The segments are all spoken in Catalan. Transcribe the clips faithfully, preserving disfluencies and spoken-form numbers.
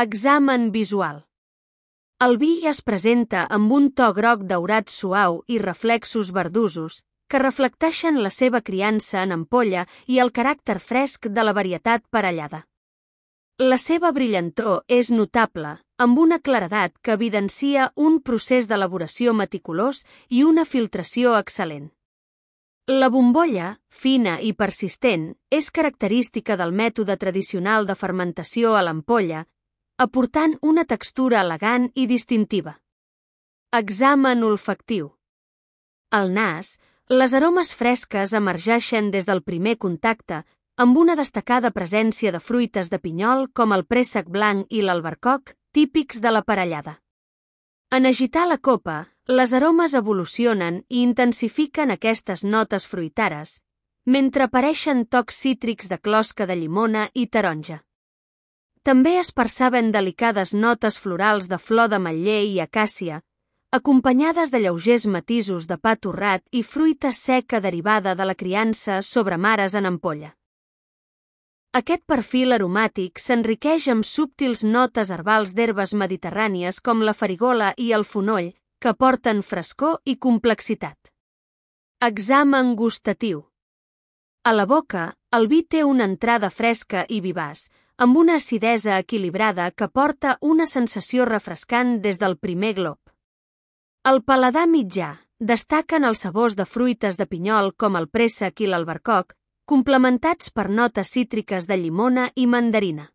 Examen visual. El vi es presenta amb un to groc daurat suau i reflexos verdosos que reflecteixen la seva criança en ampolla i el caràcter fresc de la varietat parellada. La seva brillantor és notable, amb una claredat que evidencia un procés d'elaboració meticulós i una filtració excel·lent. La bombolla, fina i persistent, és característica del mètode tradicional de fermentació a l'ampolla, aportant una textura elegant i distintiva. Examen olfactiu. Al nas, les aromes fresques emergeixen des del primer contacte, amb una destacada presència de fruites de pinyol com el préssec blanc i l'albercoc, típics de la parellada. En agitar la copa, les aromes evolucionen i intensifiquen aquestes notes fruitares, mentre apareixen tocs cítrics de closca de llimona i taronja. També es perceben delicades notes florals de flor d'ametller i acàcia, acompanyades de lleugers matisos de pa torrat i fruita seca derivada de la criança sobre mares en ampolla. Aquest perfil aromàtic s'enriqueix amb subtils notes herbals d'herbes mediterrànies com la farigola i el fonoll, que aporten frescor i complexitat. Examen gustatiu. A la boca, el vi té una entrada fresca i vivaç, amb una acidesa equilibrada que porta una sensació refrescant des del primer glop. Al paladar mitjà, destaquen els sabors de fruites de pinyol com el préssec i l'albercoc, complementats per notes cítriques de llimona i mandarina.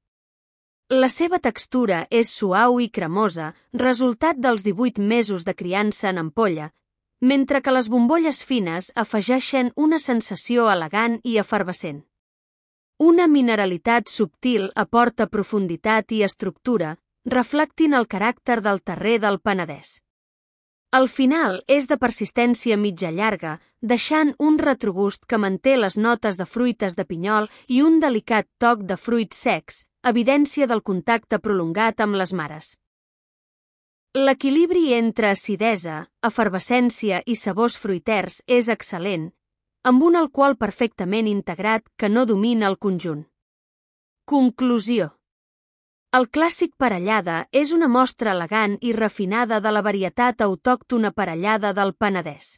La seva textura és suau i cremosa, resultat dels divuit mesos de criança en ampolla, mentre que les bombolles fines afegeixen una sensació elegant i efervescent. Una mineralitat subtil aporta profunditat i estructura, reflectint el caràcter del terrer del Penedès. El final és de persistència mitja llarga, deixant un retrogust que manté les notes de fruites de pinyol i un delicat toc de fruits secs, evidència del contacte prolongat amb les mares. L'equilibri entre acidesa, efervescència i sabors fruiters és excel·lent, amb un alcohol perfectament integrat que no domina el conjunt. Conclusió. El clàssic parellada és una mostra elegant i refinada de la varietat autòctona parellada del Penedès.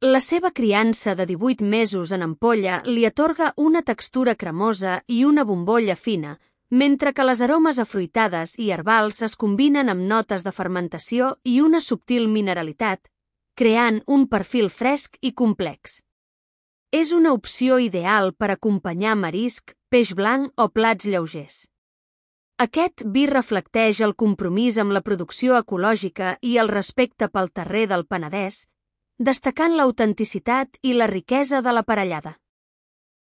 La seva criança de divuit mesos en ampolla li atorga una textura cremosa i una bombolla fina, mentre que les aromes afruitades i herbals es combinen amb notes de fermentació i una subtil mineralitat, creant un perfil fresc i complex. És una opció ideal per acompanyar marisc, peix blanc o plats lleugers. Aquest vi reflecteix el compromís amb la producció ecològica i el respecte pel terrer del Penedès, destacant l'autenticitat i la riquesa de la parellada.